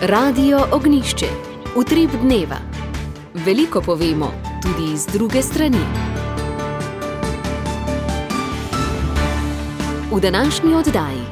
Radio Ognjišče. Utrip dneva. Veliko povemo, tudi iz druge strani. V današnji oddaji.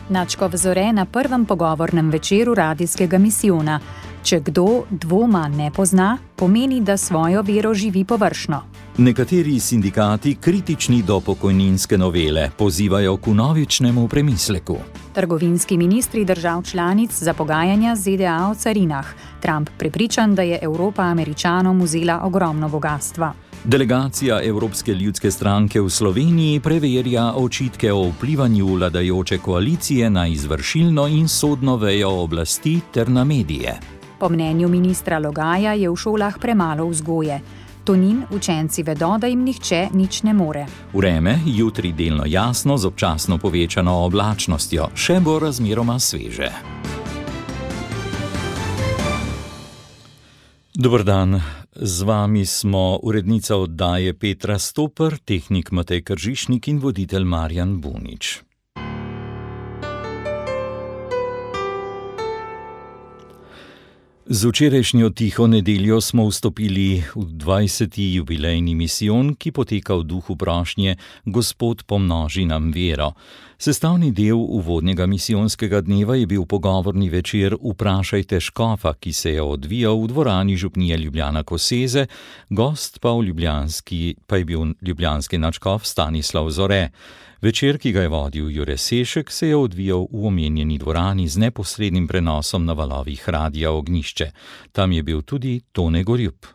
Nadškof Zore na prvem pogovornem večeru radijskega misijona. Če kdo dvoma ne pozna, pomeni, da svojo vero živi površno. Nekateri sindikati, kritični do pokojninske novele, pozivajo k vnovičnemu premisleku. Trgovinski ministri držav članic za pogajanja z ZDA o carinah. Trump prepričan, da je Evropa Američanom vzela ogromno bogastva. Delegacija Evropske ljudske stranke v Sloveniji preverja očitke o vplivanju vladajoče koalicije na izvršilno in sodno vejo oblasti ter na medije. Po mnenju ministra Logaja je v šolah premalo vzgoje. Tonin učenci vedo, da jim nihče nič ne more. Vreme jutri delno jasno z občasno povečano oblačnostjo, še bo razmeroma sveže. Dober dan, z vami smo urednica oddaje Petra Stoper, tehnik Matej Kržišnik in voditelj Marjan Bunič. Z včerajšnjo tiho nedeljo smo vstopili v 20. jubilejni misijon, ki poteka v duhu prošnje Gospod pomnoži nam vero. Sestavni del uvodnega misijonskega dneva je bil pogovorni večer Vprašajte škofa, ki se je odvijal v dvorani župnije Ljubljana Koseze, gost pa je bil ljubljanski nadškof Stanislav Zore. Večer, ki ga je vodil Jure Sešek, se je odvijal v omenjeni dvorani z neposrednim prenosom na valovih Radia Ognjišče. Tam je bil tudi Tone Gorjup.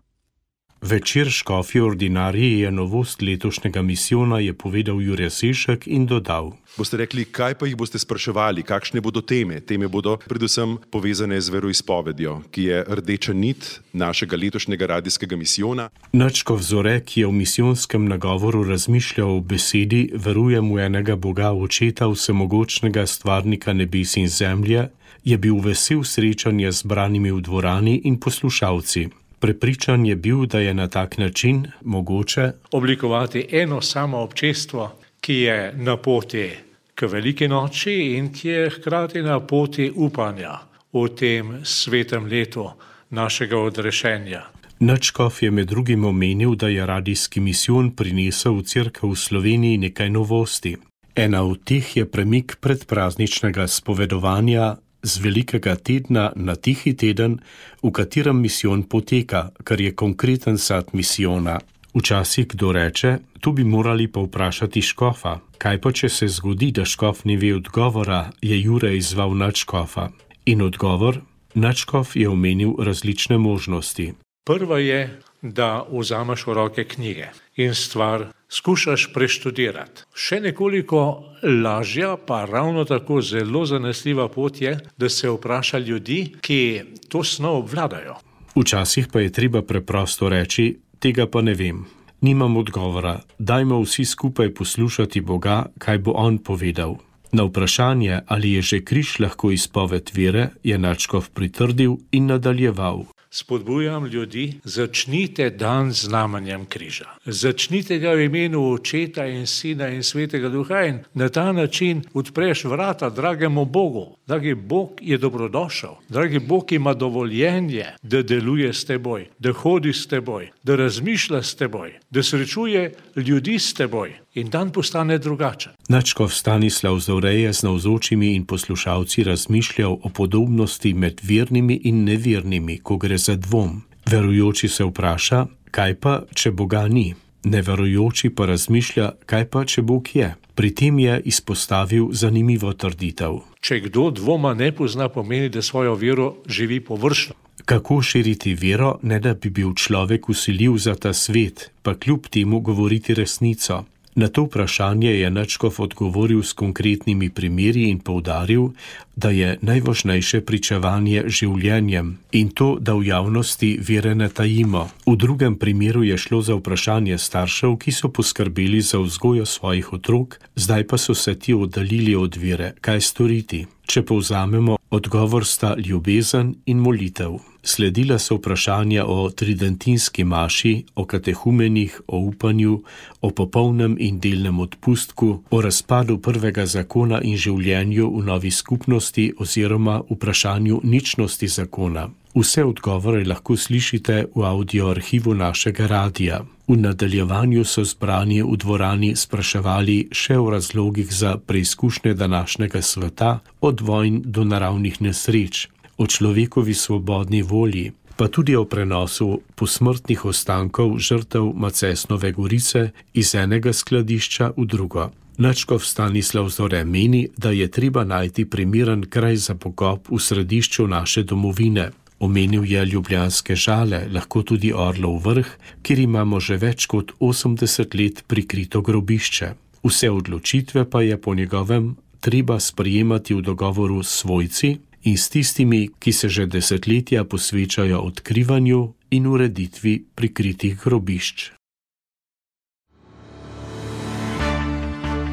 Večer škofje ordinarije je novost letošnjega misijona, je povedal Jure Sešek in dodal. Boste rekli, kaj pa jih boste spraševali, kakšne bodo teme? Teme bodo predvsem povezane z veroizpovedjo, ki je rdeča nit našega letošnjega radijskega misijona. Nadškof Zore, ki je v misijonskem nagovoru razmišljal o besedi Verujem v enega Boga, Očeta vsemogočnega, stvarnika nebes in zemlje, je bil vesel srečanja z branimi v dvorani in poslušalci. Prepričan je bil, da je na tak način mogoče oblikovati eno samo občestvo, ki je na poti k veliki noči in ki je hkrati na poti upanja v tem svetem letu našega odrešenja. Nadškof je med drugim omenil, da je radijski misijon prinesel v cerkev v Sloveniji nekaj novosti. Ena od teh je premik predprazničnega spovedovanja z velikega tedna na tihi teden, v katerem misijon poteka, kar je konkreten sad misijona. Včasih kdo reče, tu bi morali pa vprašati škofa. Kaj pa, če se zgodi, da škof ne ve odgovora, je Jure izzval nadškofa. In odgovor? Nadškof je omenil različne možnosti. Prva je, da vzameš v roke knjige in stvar skušaš preštudirati. Še nekoliko lažja, pa ravno tako zelo zanesljiva pot je, da se vpraša ljudi, ki to snov obvladajo. Včasih pa je treba preprosto reči, tega pa ne vem. Nimam odgovora, dajmo vsi skupaj poslušati Boga, kaj bo on povedal. Na vprašanje, ali je že križ lahko izpoved vere, je nadškof pritrdil in nadaljeval. Spodbujam ljudi, začnite dan z znamenjem križa. Začnite ga v imenu Očeta in Sina in Svetega Duha in na ta način odpreš vrata dragemu Bogu. Dragi Bog je dobrodošel. Dragi Bog ima dovoljenje, da deluje s teboj, da hodi s teboj, da razmišlja s teboj, da srečuje ljudi s teboj in dan postane drugačen. Nadškof Stanislav Zore je z navzočimi in poslušalci razmišljal o podobnosti med vernimi in nevernimi, ko gre za dvom. Verujoči se vpraša, kaj pa, če Boga ni? Neverujoči pa razmišlja, kaj pa, če Bog je? Pri tem je izpostavil zanimivo trditev. Če kdo dvoma ne pozna, pomeni, da svojo vero živi površno. Kako širiti vero, ne da bi bil človek vsiljiv za ta svet, pa kljub temu govoriti resnico? Na to vprašanje je nadškof odgovoril s konkretnimi primeri in poudaril, da je najvažnejše pričevanje življenjem in to, da v javnosti vere ne tajimo. V drugem primeru je šlo za vprašanje staršev, ki so poskrbeli za vzgojo svojih otrok, zdaj pa so se ti oddaljili od vere. Kaj storiti? Če povzamemo, Odgovor sta ljubezen in molitev. Sledila so vprašanja o tridentinski maši, o katehumenih, o upanju, o popolnem in delnem odpustku, o razpadu prvega zakona in življenju v novi skupnosti oziroma vprašanju ničnosti zakona. Vse odgovore lahko slišite v audioarhivu našega radia. V nadaljevanju so zbrani v dvorani spraševali še o razlogih za preizkušnje današnjega sveta, od vojn do naravnih nesreč, o človekovi svobodni volji, pa tudi o prenosu posmrtnih ostankov žrtev Macesnove gorice iz enega skladišča v drugo. Nadškof Stanislav Zore meni, da je treba najti primeren kraj za pokop v središču naše domovine. Omenil je Ljubljanske Žale, lahko tudi Orlov Vrh, kjer imamo že več kot 80 let prikrito grobišče. Vse odločitve pa je po njegovem treba sprejemati v dogovoru s svojci in s tistimi, ki se že desetletja posvečajo odkrivanju in ureditvi prikritih grobišč.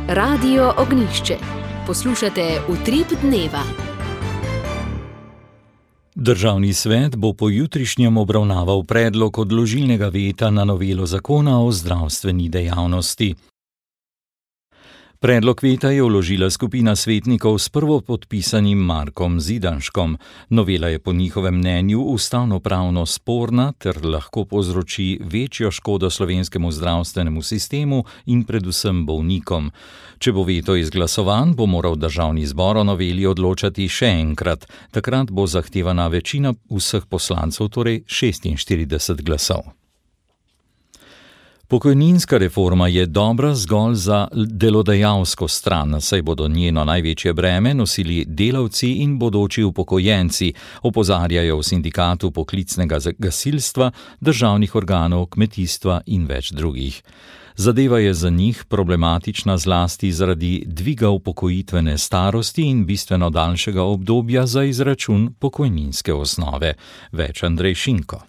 Radio Ognjišče. Poslušate Utrip dneva. Državni svet bo po jutrišnjem obravnaval predlog odložilnega veta na novelo zakona o zdravstveni dejavnosti. Predlog veta je vložila skupina svetnikov s prvopodpisanim Markom Zidanškom. Novela je po njihovem mnenju ustavnopravno sporna ter lahko povzroči večjo škodo slovenskemu zdravstvenemu sistemu in predvsem bolnikom. Če bo veto izglasovan, bo moral državni zbor o noveli odločati še enkrat. Takrat bo zahtevana večina vseh poslancev, torej 46 glasov. Pokojninska reforma je dobra zgolj za delodajalsko stran, saj bodo njeno največje breme nosili delavci in bodoči upokojenci, opozarjajo v sindikatu poklicnega gasilstva, državnih organov, kmetijstva in več drugih. Zadeva je za njih problematična zlasti zaradi dviga upokojitvene starosti in bistveno daljšega obdobja za izračun pokojninske osnove. Več Andrej Šinko.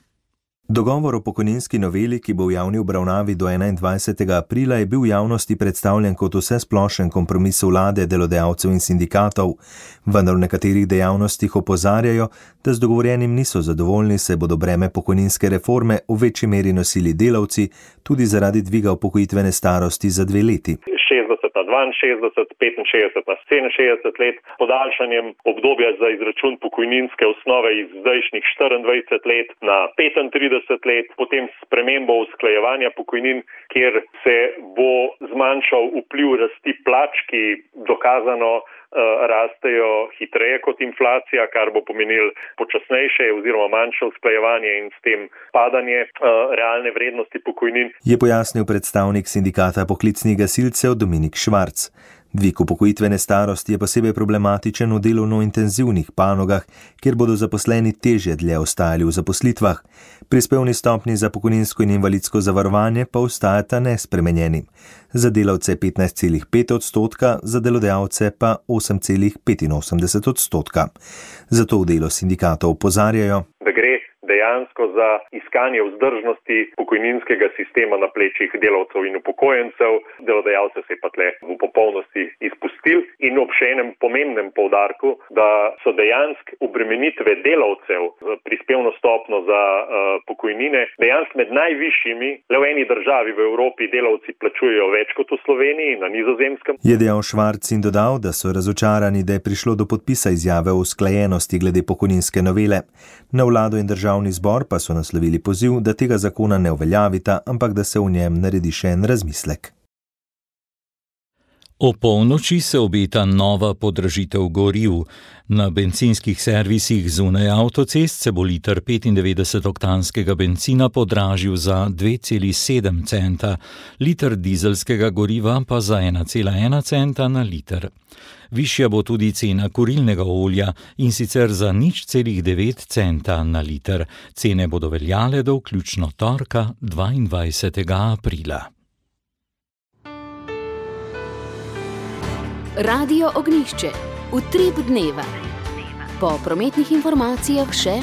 Dogovor o pokojninski noveli, ki bo v javni obravnavi do 21. aprila, je bil v javnosti predstavljen kot vsesplošen kompromis vlade, delodajalcev in sindikatov, vendar v nekaterih dejavnostih opozarjajo, da z dogovorjenim niso zadovoljni, saj bodo breme pokojninske reforme v večji meri nosili delavci, tudi zaradi dviga upokojitvene starosti za 2 leti. 60 na 62, 65 na 67 let, podaljšanjem obdobja za izračun pokojninske osnove iz zdajšnjih 24 let na 35 let, potem spremembo usklajevanja pokojnin, kjer se bo zmanjšal vpliv rasti plač, ki dokazano rastejo hitreje kot inflacija, kar bo pomenilo počasnejše oziroma manjše usklajevanje in s tem padanje realne vrednosti pokojnin. Je pojasnil predstavnik sindikata poklicnih gasilcev Dominik Švarc. Dvig upokojitvene starosti je posebej problematičen v delovno intenzivnih panogah, kjer bodo zaposleni težje dlje ostajali v zaposlitvah. Prispevni stopnji za pokojninsko in invalidsko zavarovanje pa ostajata nespremenjeni. Za delavce 15,5%, za delodajalce pa 8,85%. Zato v delu sindikatov opozarjajo, da gre dejansko za iskanje vzdržnosti pokojninskega sistema na plečih delavcev in upokojencev. Delodajalce se je pa tle v popolnosti izpustil in ob še enem pomembnem poudarku, da so dejansko obremenitve delavcev z prispevno stopno za pokojnine dejansko med najvišjimi. Le v eni državi v Evropi delavci plačujejo več kot v Sloveniji, na Nizozemskem. Je dejal Švarc in dodal, da so razočarani, da je prišlo do podpisa izjave o usklajenosti glede pokojninske novele. Na vlado in državni zbor pa so naslovili poziv, da tega zakona ne uveljavita, ampak da se v njem naredi še en razmislek. O polnoči se obeta nova podražitev goriv. Na bencinskih servisih zunaj avtocest se bo liter 95-oktanskega bencina podražil za 2,7 centa, liter dizelskega goriva pa za 1,1 centa na liter. Višja bo tudi cena kurilnega olja in sicer za 0,9 centa na liter. Cene bodo veljale do vključno torka 22. aprila. Radio Ognjišče. Utrip dneva. Po prometnih informacijah še: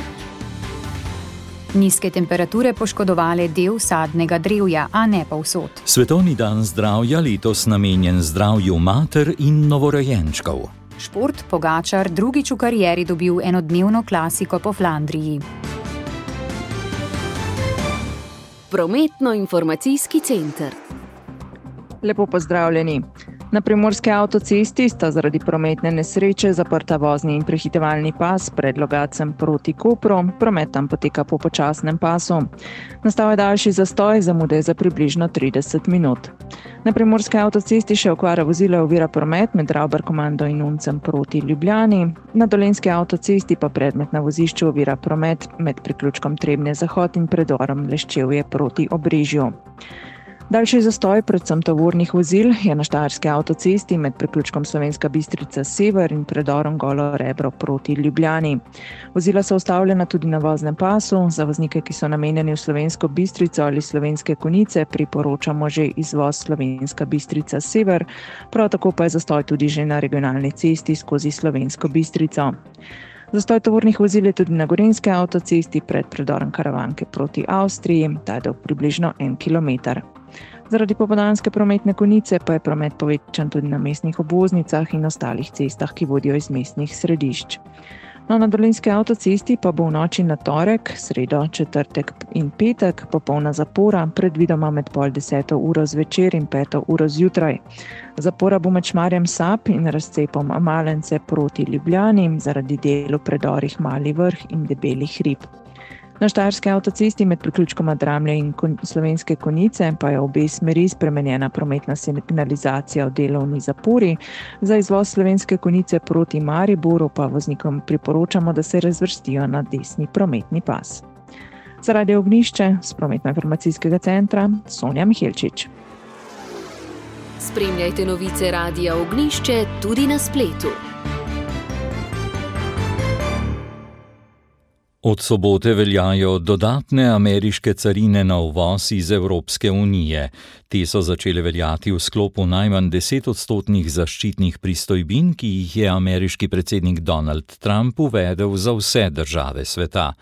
nizke temperature poškodovale del sadnega drevja, a ne povsod. Svetovni dan zdravja letos namenjen zdravju mater in novorojenčkov. Šport, Pogačar drugič v karieri dobil enodnevno klasiko po Flandriji. Prometno-informacijski center. Lepo pozdravljeni. Na primorski avtocesti sta zaradi prometne nesreče zaprta vozni in prehitevalni pas pred Logatcem proti Kopru, promet tam poteka po počasnem pasu. Nastal je daljši zastoj, zamude za približno 30 minut. Na primorski avtocesti še okvara vozila ovira promet med Ravbarkomando in Uncem proti Ljubljani. Na dolenjski avtocesti pa predmet na vozišču ovira promet med priključkom Trebnje-Zahod in predorom Leščevje proti Obrežju. Daljši zastoj, predvsem tovornih vozil, je na štajerski avtocesti med priključkom Slovenska Bistrica Sever in predorom Golo Rebro proti Ljubljani. Vozila so ustavljena tudi na voznem pasu. Za voznike, ki so namenjeni v Slovensko Bistrico ali Slovenske Konjice, priporočamo že izvoz Slovenska Bistrica Sever, prav tako pa je zastoj tudi že na regionalni cesti skozi Slovensko Bistrico. Zastoj tovornih vozil je tudi na gorenjski avtocesti pred predorom Karavanke proti Avstriji, ta je dolg približno 1 kilometer. Zaradi popoldanske prometne konice pa je promet povečan tudi na mestnih obvoznicah in ostalih cestah, ki vodijo iz mestnih središč. Na dolenjski avtocesti pa bo v noči na torek, sredo, četrtek in petek popolna zapora, predvidoma med 9:30 zvečer in 5:00 zjutraj. Zapora bo med Šmarjem Sap in razcepom Malence proti Ljubljani zaradi del v predorih Mali Vrh in Debeli hrib. Na štajerski avtocesti med priključkoma Dramlje in Slovenske Konjice pa je v obe smeri spremenjena prometna signalizacija v delovni zapori. Za izvoz Slovenske Konjice proti Mariboru pa voznikom priporočamo, da se razvrstijo na desni prometni pas. Za Radio Ognjišče z Prometno-informacijskega centra Sonja Mihelčič. Spremljajte novice Radia Ognjišče tudi na spletu. Od sobote veljajo dodatne ameriške carine na uvoz iz Evropske unije. Te so začele veljati v sklopu najmanj 10% zaščitnih pristojbin, ki jih je ameriški predsednik Donald Trump uvedel za vse države sveta.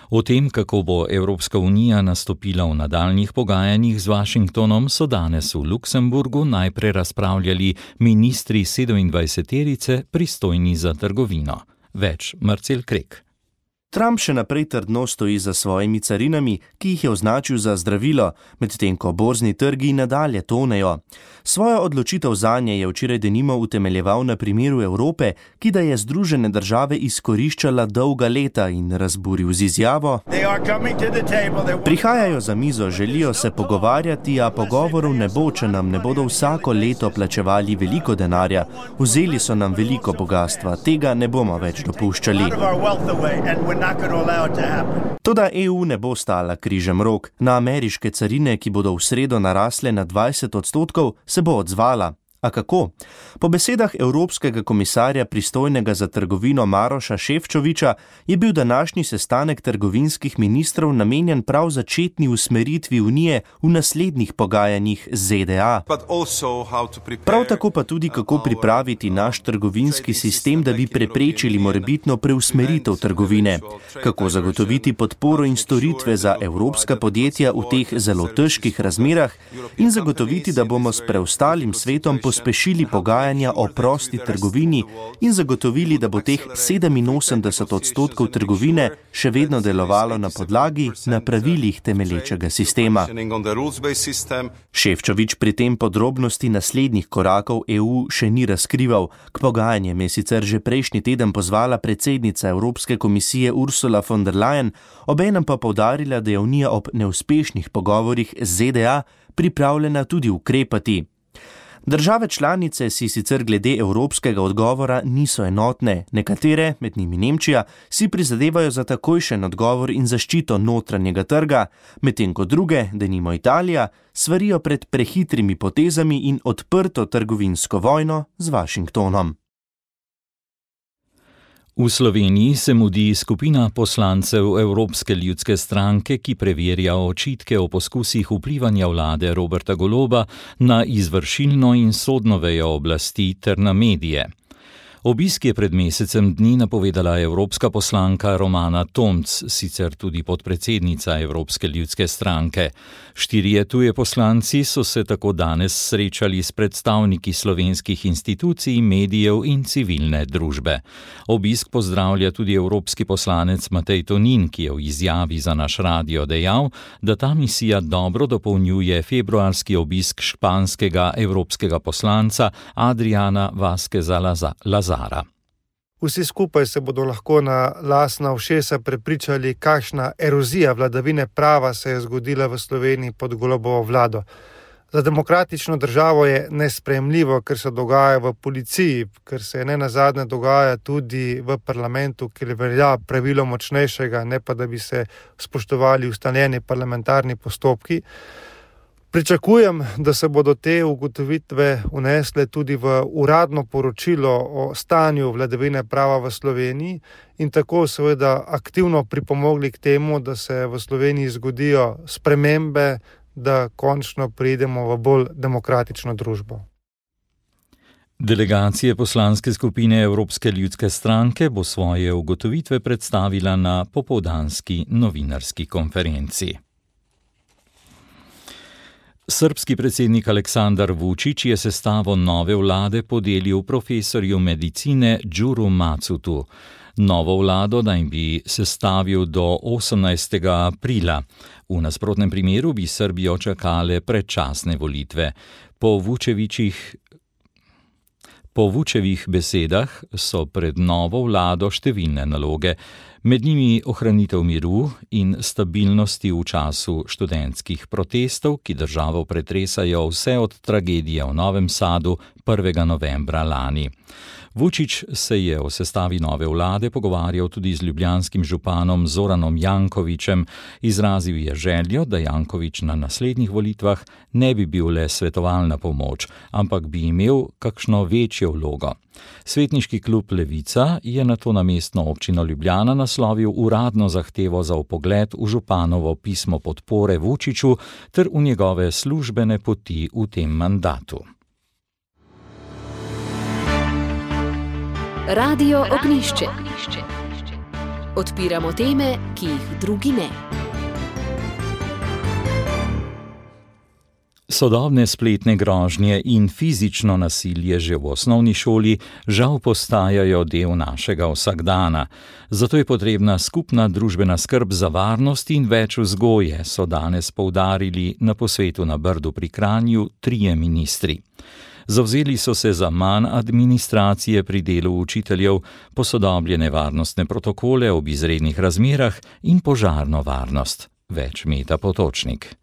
O tem, kako bo Evropska unija nastopila v nadaljnjih pogajanjih z Washingtonom, so danes v Luksemburgu najprej razpravljali ministri 27-terice pristojni za trgovino. Več Marcel Krek. Trump še naprej trdno stoji za svojimi carinami, ki jih je označil za zdravilo, medtem ko borzni trgi nadalje tonejo. Svojo odločitev zanje je včeraj denimo utemeljeval na primeru Evrope, ki da je Združene države izkoriščala dolga leta in razburil z izjavo: Prihajajo za mizo, želijo se pogovarjati, a pogovorov ne bo, če nam ne bodo vsako leto plačevali veliko denarja. Vzeli so nam veliko bogastva, tega ne bomo več dopuščali. Toda EU ne bo stala križem rok. Na ameriške carine, ki bodo v sredo narasle na 20%, se bo odzvala. A kako? Po besedah Evropskega komisarja pristojnega za trgovino Maroša Šefčoviča je bil današnji sestanek trgovinskih ministrov namenjen prav začetni usmeritvi Unije v naslednjih pogajanjih z ZDA. Prav tako pa tudi, kako pripraviti naš trgovinski sistem, da bi preprečili morebitno preusmeritev trgovine. Kako zagotoviti podporo in storitve za evropska podjetja v teh zelo težkih razmerah in zagotoviti, da bomo s preostalim svetom pospešili pogajanja o prosti trgovini in zagotovili, da bo teh 87% trgovine še vedno delovalo na podlagi na pravilih temelječega sistema. Šefčovič pri tem podrobnosti naslednjih korakov EU še ni razkrival. K pogajanjem je sicer že prejšnji teden pozvala predsednica Evropske komisije Ursula von der Leyen, obenem pa poudarila, da je Unija ob neuspešnih pogovorih z ZDA pripravljena tudi ukrepati. Države članice si sicer glede evropskega odgovora niso enotne. Nekatere, med njimi Nemčija, si prizadevajo za takojšen odgovor in zaščito notranjega trga, medtem ko druge, denimo Italija, svarijo pred prehitrimi potezami in odprto trgovinsko vojno z Washingtonom. V Sloveniji se mudi skupina poslancev Evropske ljudske stranke, ki preverja očitke o poskusih vplivanja vlade Roberta Goloba na izvršilno in sodno vejo oblasti ter na medije. Obisk je pred mesecem dni napovedala evropska poslanka Romana Tomc, sicer tudi podpredsednica Evropske ljudske stranke. 4 tuje poslanci so se tako danes srečali s predstavniki slovenskih institucij, medijev in civilne družbe. Obisk pozdravlja tudi evropski poslanec Matej Tonin, ki je v izjavi za naš radio dejal, da ta misija dobro dopolnjuje februarski obisk španskega evropskega poslanca Adriana Vázqueza Lazara. Vsi skupaj se bodo lahko na lastna ušesa prepričali, kakšna erozija vladavine prava se je zgodila v Sloveniji pod Golobovo vlado. Za demokratično državo je nesprejemljivo, ker se dogaja v policiji, ker se nenazadnje dogaja tudi v parlamentu, kjer velja pravilo močnejšega, ne pa da bi se spoštovali ustaljeni parlamentarni postopki. Pričakujem, da se bodo te ugotovitve unesle tudi v uradno poročilo o stanju vladavine prava v Sloveniji in tako seveda aktivno pripomogli k temu, da se v Sloveniji zgodijo spremembe, da končno pridemo v bolj demokratično družbo. Delegacija poslanske skupine Evropske ljudske stranke bo svoje ugotovitve predstavila na popoldanski novinarski konferenci. Srbski predsednik Aleksandar Vučić je sestavo nove vlade podelil profesorju medicine Đuru Macutu. Novo vlado naj bi sestavil do 18. aprila. V nasprotnem primeru bi Srbijo čakale predčasne volitve. Po Vučevih besedah so pred novo vlado številne naloge, med njimi ohranitev miru in stabilnosti v času študentskih protestov, ki državo pretresajo vse od tragedije v Novem Sadu 1. novembra lani. Vučić se je o sestavi nove vlade pogovarjal tudi z ljubljanskim županom Zoranom Jankovićem. Izrazil je željo, da Janković na naslednjih volitvah ne bi bil le svetovalna pomoč, ampak bi imel kakšno večjo vlogo. Svetniški klub Levica je nato na mestno občino Ljubljana naslovil uradno zahtevo za vpogled v županovo pismo podpore Vučiću ter v njegove službene poti v tem mandatu. Radio Ognjišče. Odpiramo teme, ki jih drugi ne. Sodobne spletne grožnje in fizično nasilje že v osnovni šoli žal postajajo del našega vsakdana. Zato je potrebna skupna družbena skrb za varnost in več vzgoje, so danes poudarili na posvetu na Brdu pri Kranju 3 ministri. Zavzeli so se za manj administracije pri delu učiteljev, posodobljene varnostne protokole ob izrednih razmerah in požarno varnost. Več Meta Potočnik.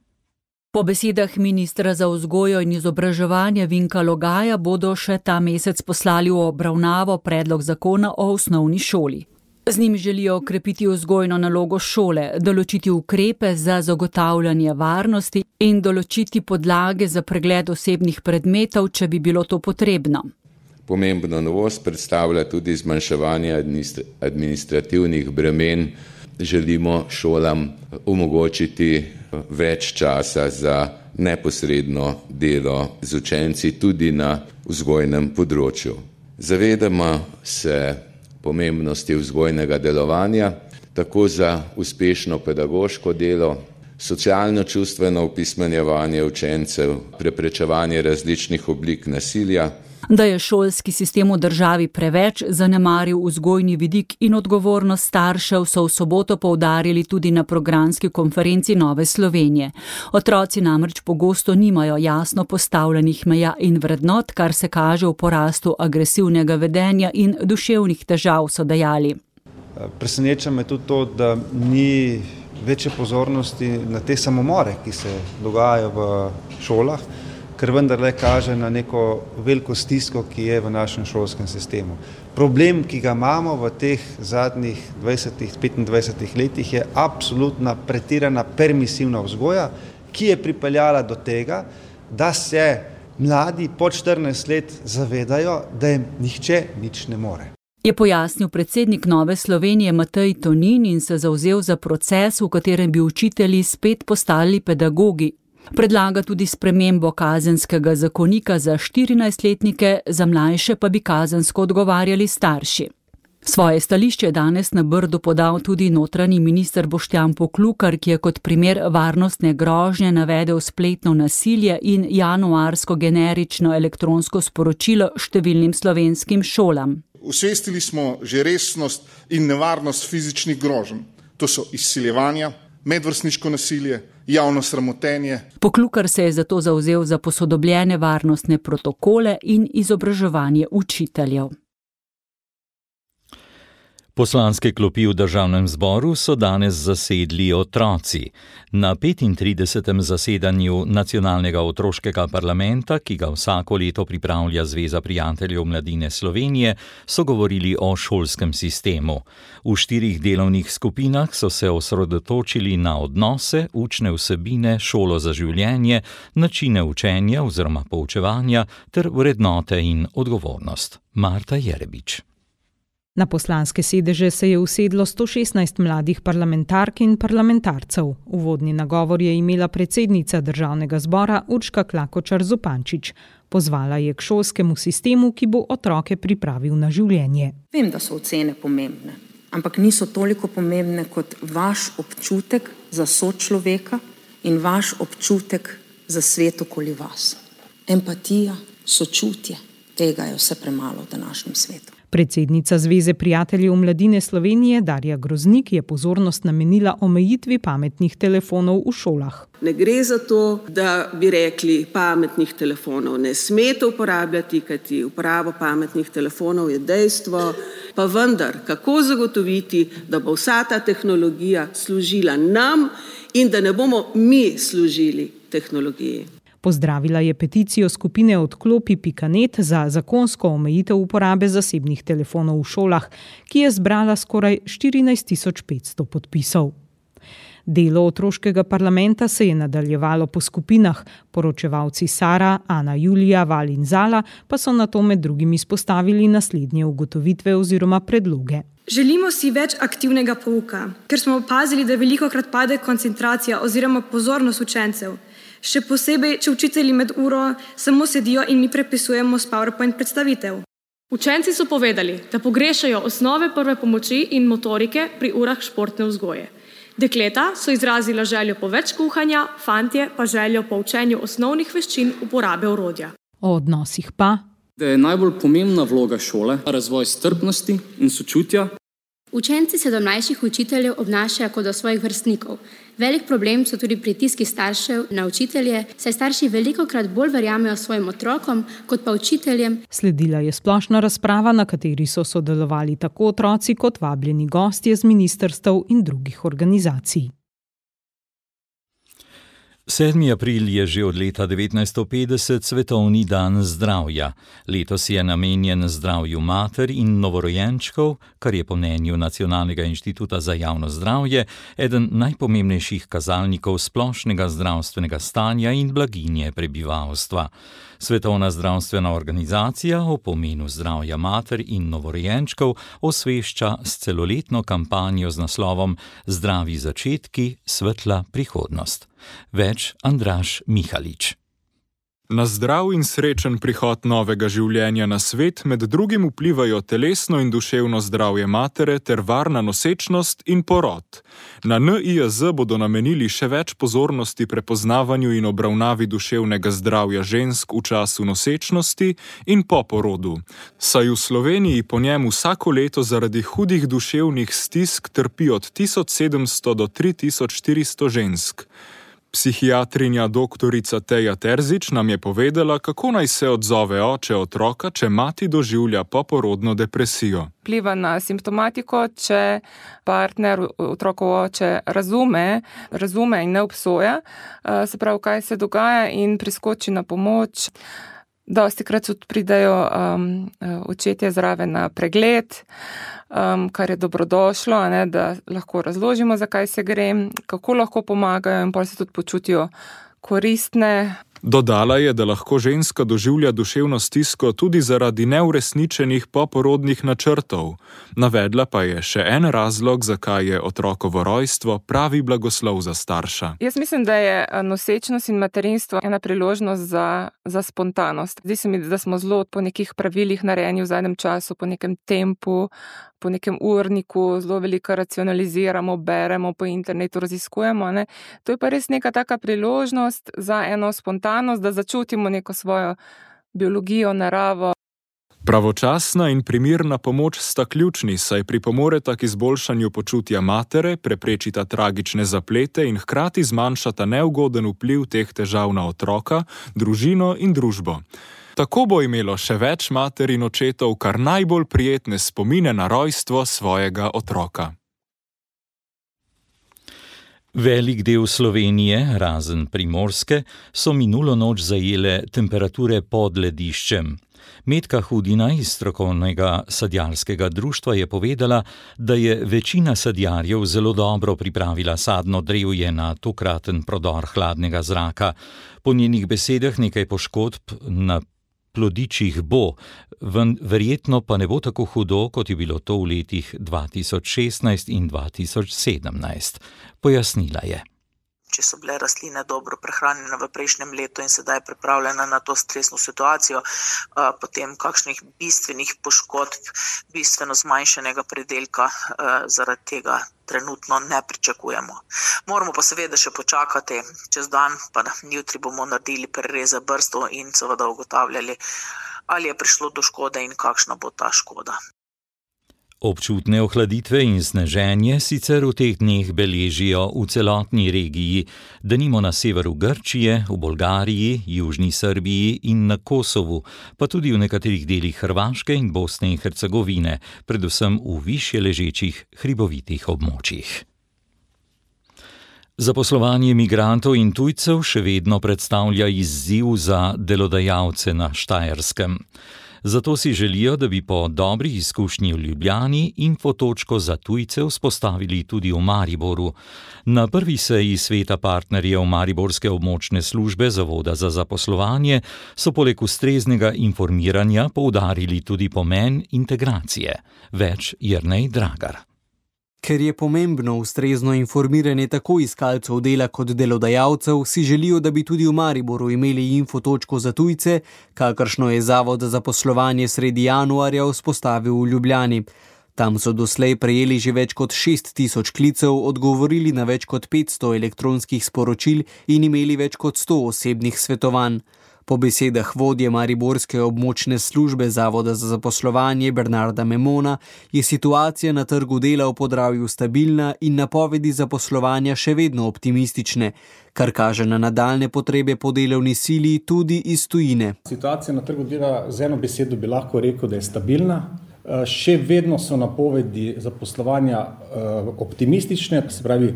Po besedah ministra za vzgojo in izobraževanje Vinka Logaja bodo še ta mesec poslali v obravnavo predlog zakona o osnovni šoli. Z njim želijo okrepiti vzgojno nalogo šole, določiti ukrepe za zagotavljanje varnosti in določiti podlage za pregled osebnih predmetov, če bi bilo to potrebno. Pomembno novost predstavlja tudi zmanjševanje administrativnih bremen. Želimo šolam omogočiti več časa za neposredno delo z učenci tudi na vzgojnem področju. Zavedamo se pomembnosti vzgojnega delovanja, tako za uspešno pedagoško delo, socialno-čustveno opismenjevanje učencev, preprečevanje različnih oblik nasilja. Da je šolski sistem v državi preveč zanemaril vzgojni vidik in odgovornost staršev, so v soboto poudarili tudi na programski konferenci Nove Slovenije. Otroci namreč pogosto nimajo jasno postavljenih meja in vrednot, kar se kaže v porastu agresivnega vedenja in duševnih težav, so dejali. Preseneča me tudi to, da ni večje pozornosti na te samomore, ki se dogajajo v šolah, ker vendarle kaže na neko veliko stisko, ki je v našem šolskem sistemu. Problem, ki ga imamo v teh zadnjih 20-25 letih, je absolutna pretirana permisivna vzgoja, ki je pripeljala do tega, da se mladi pod 14 let zavedajo, da jim nihče nič ne more. Je pojasnil predsednik Nove Slovenije Matej Tonin in se zavzel za proces, v katerem bi učitelji spet postali pedagogi. Predlaga tudi spremembo kazenskega zakonika za 14-letnike, za mlajše pa bi kazensko odgovarjali starši. Svoje stališče je danes na Brdu podal tudi notranji minister Boštjan Poklukar, ki je kot primer varnostne grožnje navedel spletno nasilje in januarsko generično elektronsko sporočilo številnim slovenskim šolam. Osvestili smo že resnost in nevarnost fizičnih groženj. To so izsiljevanja, medvrstniško nasilje, javno sramotenje. Poklukar se je zato zavzel za posodobljene varnostne protokole in izobraževanje učiteljev. Poslanske klopi v državnem zboru so danes zasedli otroci. Na 35. zasedanju Nacionalnega otroškega parlamenta, ki ga vsako leto pripravlja Zveza prijateljev mladine Slovenije, so govorili o šolskem sistemu. V 4 delovnih skupinah so se osredotočili na odnose, učne vsebine, šolo za življenje, načine učenja oziroma poučevanja ter vrednote in odgovornost. Marta Jerebič. Na poslanske sedeže se je usedlo 116 mladih parlamentark in parlamentarcev. Uvodni nagovor je imela predsednica državnega zbora Urška Klakočar Zupančič. Pozvala je k šolskemu sistemu, ki bo otroke pripravil na življenje. Vem, da so ocene pomembne, ampak niso toliko pomembne kot vaš občutek za sočloveka in vaš občutek za svet okoli vas. Empatija, sočutje, tega je vse premalo v današnjem svetu. Predsednica Zveze prijateljev mladine Slovenije Darja Groznik je pozornost namenila omejitvi pametnih telefonov v šolah. Ne gre za to, da bi rekli, pametnih telefonov ne smete uporabljati, kajti uporabo pametnih telefonov je dejstvo, pa vendar, kako zagotoviti, da bo vsa ta tehnologija služila nam in da ne bomo mi služili tehnologiji. Pozdravila je peticijo skupine Odklopi.net za zakonsko omejitev uporabe zasebnih telefonov v šolah, ki je zbrala skoraj 14.500 podpisov. Delo otroškega parlamenta se je nadaljevalo po skupinah. Poročevalci Sara, Ana Julija, Val in Zala pa so nato med drugim izpostavili naslednje ugotovitve oziroma predloge. Želimo si več aktivnega pouka, ker smo opazili, da velikokrat pade koncentracija oziroma pozornost učencev. Še posebej, če učitelji med uro samo sedijo in mi prepisujemo s PowerPoint predstavitev. Učenci so povedali, da pogrešajo osnove prve pomoči in motorike pri urah športne vzgoje. Dekleta so izrazila željo po več kuhanja, fantje pa željo po učenju osnovnih veščin uporabe orodja. O odnosih pa, da je najbolj pomembna vloga šole razvoj strpnosti in sočutja. Učenci se do mlajših učiteljev obnašajo kot do svojih vrstnikov. Velik problem so tudi pritiski staršev na učitelje, saj starši velikokrat bolj verjamejo svojim otrokom kot pa učiteljem. Sledila je splošna razprava, na kateri so sodelovali tako otroci kot vabljeni gostje z ministrstev in drugih organizacij. 7. april je že od leta 1950 Svetovni dan zdravja. Letos je namenjen zdravju mater in novorojenčkov, kar je po mnenju Nacionalnega inštituta za javno zdravje eden najpomembnejših kazalnikov splošnega zdravstvenega stanja in blaginje prebivalstva. Svetovna zdravstvena organizacija o pomenu zdravja mater in novorojenčkov osvešča s celoletno kampanjo z naslovom Zdravi začetki, svetla prihodnost. Več Andraž Mihalič. Na zdrav in srečen prihod novega življenja na svet med drugim vplivajo telesno in duševno zdravje matere ter varna nosečnost in porod. Na NIJZ bodo namenili še več pozornosti prepoznavanju in obravnavi duševnega zdravja žensk v času nosečnosti in po porodu. Saj v Sloveniji po njem vsako leto zaradi hudih duševnih stisk trpi od 1700 do 3400 žensk. Psihiatrinja doktorica Teja Terzič nam je povedala, kako naj se odzove oče otroka, če mati doživlja poporodno depresijo. Vpliva na simptomatiko, če partner, otrokov oče razume in ne obsoja, se pravi, kaj se dogaja in priskoči na pomoč. Dostikrat pridejo očetje zraven na pregled, kar je dobrodošlo, da lahko razložimo, zakaj se gre, kako lahko pomagajo in potem se tudi počutijo koristne. Dodala je, da lahko ženska doživlja duševno stisko tudi zaradi neuresničenih poporodnih načrtov. Navedla pa je še en razlog, zakaj je otrokovo rojstvo pravi blagoslov za starša. Jaz mislim, da je nosečnost in materinstvo ena priložnost za spontanost. Zdi se mi, da smo zelo po nekih pravilih narejeni v zadnjem času, po nekem tempu, po nekem urniku, zelo veliko racionaliziramo, beremo po internetu, raziskujemo. Ne? To je pa res neka taka priložnost za eno spontanost, da začutimo neko svojo biologijo, naravo. Pravočasna in primirna pomoč sta ključni, saj pripomoreta k izboljšanju počutja matere, preprečita tragične zaplete in hkrati zmanjšata neugoden vpliv teh težav na otroka, družino in družbo. Tako bo imelo še več mater in očetov kar najbolj prijetne spomine na rojstvo svojega otroka. Velik del Slovenije, razen Primorske, so minulo noč zajele temperature pod lediščem. Metka Hudina iz strokovnega sadjarskega društva je povedala, da je večina sadjarjev zelo dobro pripravila sadno drevje na tokraten prodor hladnega zraka. Po njenih besedah nekaj poškodb na plodičih bo, verjetno pa ne bo tako hudo, kot je bilo to v letih 2016 in 2017. Pojasnila je. Če so bile rastline dobro prehranjene v prejšnjem letu in sedaj pripravljene na to stresno situacijo, potem kakšnih bistvenih poškodb, bistveno zmanjšanega pridelka zaradi tega trenutno ne pričakujemo. Moramo pa seveda še počakati čez dan, pa jutri bomo naredili prereze brstov in seveda ugotavljali, ali je prišlo do škode in kakšna bo ta škoda. Občutne ohladitve in sneženje sicer v teh dneh beležijo v celotni regiji, denimo na severu Grčije, v Bolgariji, južni Srbiji in na Kosovu, pa tudi v nekaterih delih Hrvaške in Bosne in Hercegovine, predvsem v višje ležečih hribovitih območjih. Zaposlovanje migrantov in tujcev še vedno predstavlja izziv za delodajalce na Štajerskem. Zato si želijo, da bi po dobri izkušnji v Ljubljani infotočko za tujce vzpostavili tudi v Mariboru. Na prvi seji sveta partnerjev Mariborske območne službe Zavoda za zaposlovanje so poleg ustreznega informiranja poudarili tudi pomen integracije. Več Jernej Dragar. Ker je pomembno ustrezno informiranje tako iskalcev dela kot delodajalcev, si želijo, da bi tudi v Mariboru imeli infotočko za tujce, kakršno je Zavod za zaposlovanje sredi januarja vzpostavil v Ljubljani. Tam so doslej prejeli že več kot 6.000 klicev, odgovorili na več kot 500 elektronskih sporočil in imeli več kot 100 osebnih svetovanj. Po besedah vodje Mariborske območne službe Zavoda za zaposlovanje Bernarda Memona je situacija na trgu dela v Podravju stabilna in napovedi zaposlovanja še vedno optimistične, kar kaže na nadaljne potrebe po delovni sili tudi iz tujine. Situacija na trgu dela z eno besedo bi lahko rekel, da je stabilna. Še vedno so napovedi zaposlovanja optimistične, se pravi,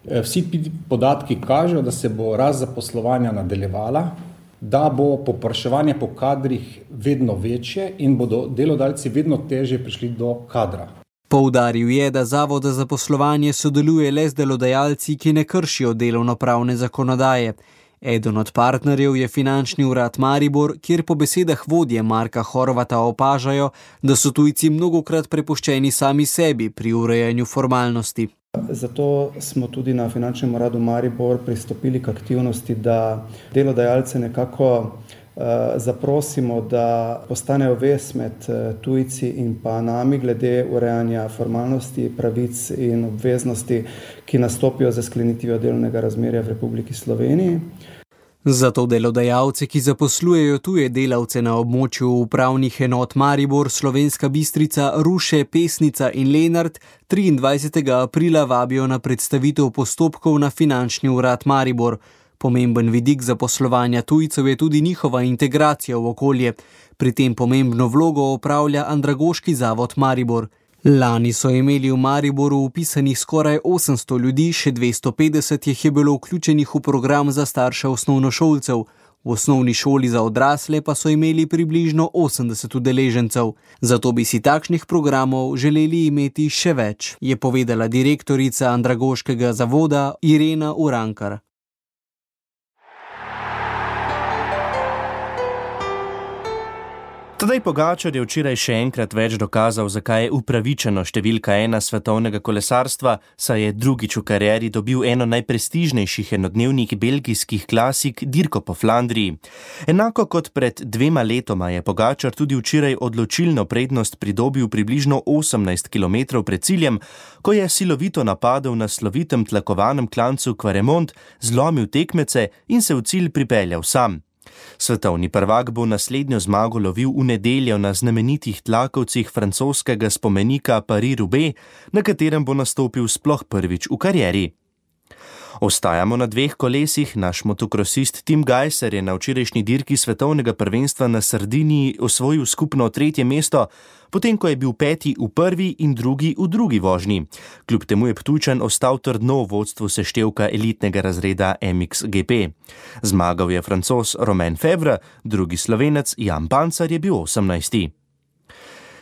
vsi podatki kažejo, da se bo rast zaposlovanja nadaljevala, da bo povpraševanje po kadrih vedno večje in bodo delodajalci vedno težje prišli do kadra. Poudaril je, da Zavod za zaposlovanje sodeluje le z delodajalci, ki ne kršijo delovnopravne zakonodaje. Eden od partnerjev je Finančni urad Maribor, kjer po besedah vodje Marka Horvata opažajo, da so tujci mnogokrat prepuščeni sami sebi pri urejanju formalnosti. Zato smo tudi na Finančnem uradu Maribor pristopili k aktivnosti, da delodajalce nekako zaprosimo, da postanejo vez med tujci in pa nami glede urejanja formalnosti, pravic in obveznosti, ki nastopijo za sklenitvijo delovnega razmerja v Republiki Sloveniji. Zato delodajalce, ki zaposlujejo tuje delavce na območju upravnih enot Maribor, Slovenska Bistrica, Ruše, Pesnica in Lenart 23. aprila vabijo na predstavitev postopkov na Finančni urad Maribor. Pomemben vidik zaposlovanja tujcev je tudi njihova integracija v okolje. Pri tem pomembno vlogo opravlja Andragoški zavod Maribor. Lani so imeli v Mariboru vpisanih skoraj 800 ljudi, še 250 jih je bilo vključenih v program za starše osnovnošolcev. V osnovni šoli za odrasle pa so imeli približno 80 udeležencev. Zato bi si takšnih programov želeli imeti še več, je povedala direktorica Andragoškega zavoda Irena Urankar. Tadej Pogačar je včeraj še enkrat več dokazal, zakaj je upravičeno številka 1 svetovnega kolesarstva, saj je drugič v karieri dobil eno najprestižnejših enodnevnih belgijskih klasik dirko po Flandriji. Enako kot pred 2 letoma je Pogačar tudi včeraj odločilno prednost pridobil približno 18 km pred ciljem, ko je silovito napadel na slovitem tlakovanem klancu Quaremont, zlomil tekmece in se v cilj pripeljal sam. Svetovni prvak bo naslednjo zmago lovil v nedeljo na znamenitih tlakovcih francoskega spomenika Paris-Roubaix, na katerem bo nastopil sploh prvič v karieri. Ostajamo na 2 kolesih, naš motokrosist Tim Gajser je na včerajšnji dirki svetovnega prvenstva na Sardiniji osvojil skupno 3. mesto, potem ko je bil 5. v prvi in 2. v drugi vožnji. Kljub temu je Ptujčan ostal trdno v vodstvu seštevka elitnega razreda MXGP. Zmagal je Francoz Romain Febvre, drugi Slovenec Jan Pancar je bil 18.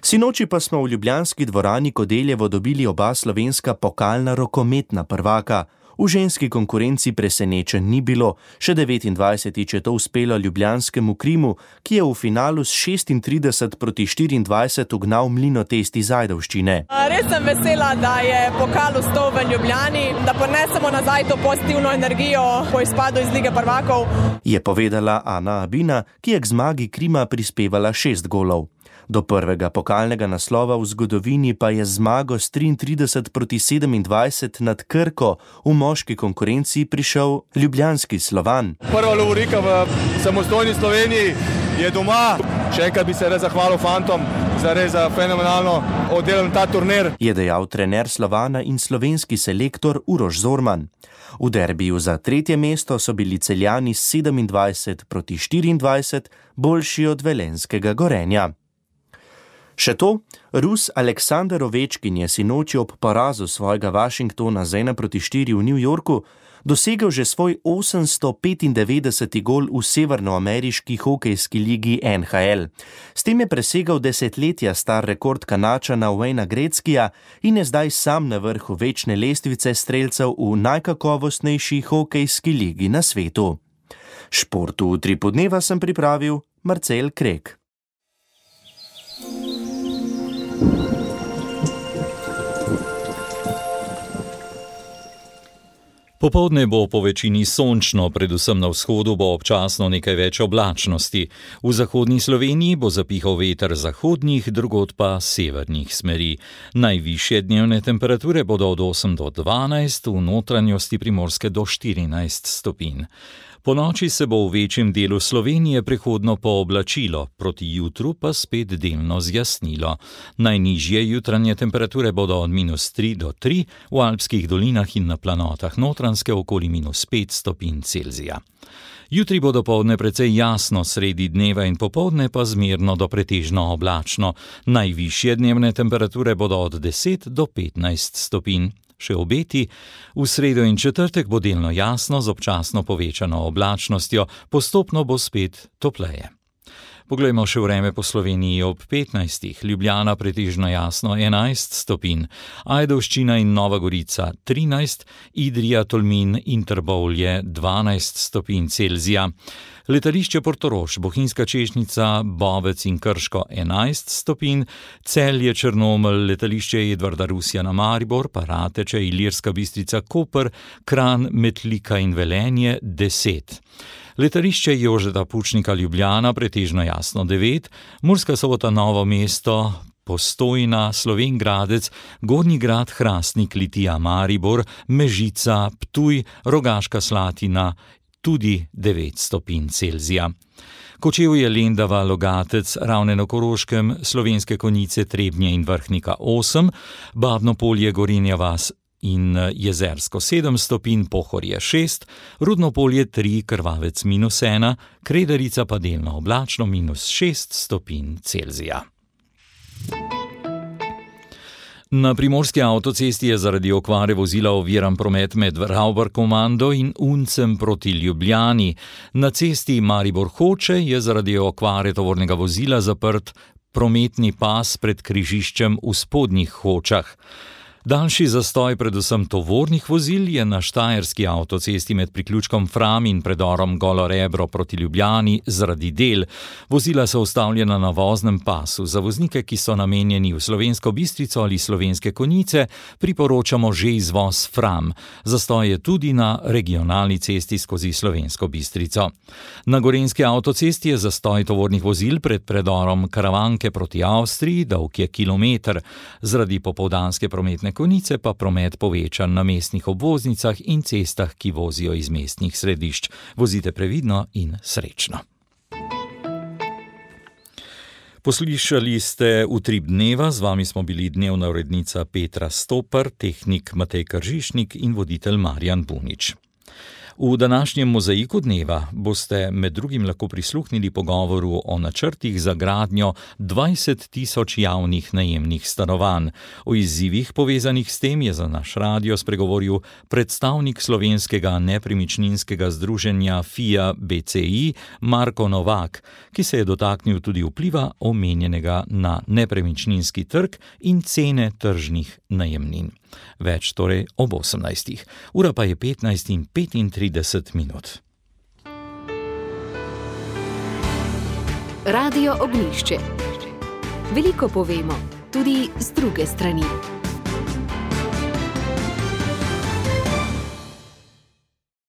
Sinoči pa smo v ljubljanski dvorani Kodeljevo dobili oba slovenska pokalna rokometna prvaka. V ženski konkurenci presenečen ni bilo, še 29. je to uspelo ljubljanskemu Krimu, ki je v finalu s 36 proti 24 ugnal Mlinotest iz Ajdovščine. Res sem vesela, da je pokal ostal v Ljubljani, da ponesemo nazaj to pozitivno energijo po izpadu iz Lige prvakov. Je povedala Ana Abina, ki je k zmagi Krima prispevala 6 golov. Do prvega pokalnega naslova v zgodovini pa je zmago s 33 proti 27 nad Krko v moški konkurenci prišel ljubljanski Slovan. Prva lovorika v samostojni Sloveniji je doma. Še enkrat bi se res zahvalil fantom za res fenomenalno oddelan ta turnir. Je dejal trener Slovana in slovenski selektor Uroš Zorman. V derbiju za 3. mesto so bili Celjani s 27 proti 24 boljši od velenjskega Gorenja. Še to, Rus Aleksander Ovečkin je sinoči ob porazu svojega Washingtona z 1-4 v New Yorku dosegel že svoj 895. gol v severnoameriški hokejski ligi NHL. S tem je presegal desetletja star rekord Kanačana Wayna Gretzkyja in je zdaj sam na vrhu večne lestvice strelcev v najkakovostnejši hokejski ligi na svetu. Športu v Utripu dneva sem pripravil Marcel Krek. Popoldne bo po večini sončno, predvsem na vzhodu bo občasno nekaj več oblačnosti. V zahodni Sloveniji bo zapihal veter zahodnih, drugod pa severnih smeri. Najvišje dnevne temperature bodo od 8 do 12, v notranjosti Primorske do 14 stopinj. Po noči se bo v večjem delu Slovenije prehodno pooblačilo, proti jutru pa spet delno zjasnilo. Najnižje jutranje temperature bodo od -3 do 3, v alpskih dolinah in na planotah Notranjske okoli -5 stopinj Celzija. Jutri bo dopoldne precej jasno, sredi dneva in popoldne pa zmerno do pretežno oblačno. Najvišje dnevne temperature bodo od 10 do 15 stopinj. Še obeti, v sredo in četrtek bo delno jasno z občasno povečano oblačnostjo, postopno bo spet topleje. Poglejmo še vreme po Sloveniji ob 15. Ljubljana pretežno jasno 11 stopinj, Ajdovščina in Nova Gorica 13, Idrija, Tolmin in Trbovlje 12 stopinj Celzija. Letališče Portorož, Bohinjska Češnica, Bovec in Krško 11 stopinj, Celje, Črnomelj, letališče Edvarda Rusjana Maribor, Parateče, Ilirska Bistrica, Koper, Kranj, Metlika in Velenje 10. Letališče Jožeta Pučnika Ljubljana pretežno jasno 9, Murska Sobota Novo mesto, Postojna, Slovenj Gradec, Gornji Grad, Hrastnik, Litija, Maribor, Mežica, Ptuj, Rogaška Slatina, tudi 9 stopinj Celzija. Kočevje, Lendava, Logatec, Ravne na Koroškem, Slovenske Konjice, Trebnje in Vrhnika 8, Babno Polje, Gorenja vas in Jezersko 7 stopinj, Pohorje 6, Rudno Polje 3, Krvavec -1, Kredarica pa delno oblačno -6 stopinj Celzija. Na primorski avtocesti je zaradi okvare vozila oviran promet med Ravbarkomando in Uncem proti Ljubljani. Na cesti Maribor-Hoče je zaradi okvare tovornega vozila zaprt prometni pas pred križiščem v Spodnjih Hočah. Daljši zastoj predvsem tovornih vozil je na štajerski avtocesti med priključkom Fram in predorom Golo Rebro proti Ljubljani zaradi del. Vozila so ustavljena na voznem pasu. Za voznike, ki so namenjeni v Slovensko Bistrico ali Slovenske Konjice, priporočamo že izvoz Fram. Zastoj je tudi na regionalni cesti skozi Slovensko Bistrico. Na gorenjski avtocesti je zastoj tovornih vozil pred predorom Karavanke proti Avstriji, dolg je kilometer. Zaradi popoldanske prometne konice pa promet povečan na mestnih obvoznicah in cestah, ki vozijo iz mestnih središč. Vozite previdno in srečno. Poslušali ste Utrip dneva, z vami smo bili dnevna urednica Petra Stopar, tehnik Matej Kržišnik in voditelj Marjan Bunič. V današnjem mozaiku dneva boste med drugim lahko prisluhnili pogovoru o načrtih za gradnjo 20.000 javnih najemnih stanovanj. O izzivih povezanih s tem je za naš radio spregovoril predstavnik slovenskega nepremičninskega združenja FIA BCI Marko Novak, ki se je dotaknil tudi vpliva omenjenega na nepremičninski trg in cene tržnih najemnin. Več torej ob 18. Ura pa je 15:35 minut. Radio Ognjišče. Veliko povemo, tudi z druge strani.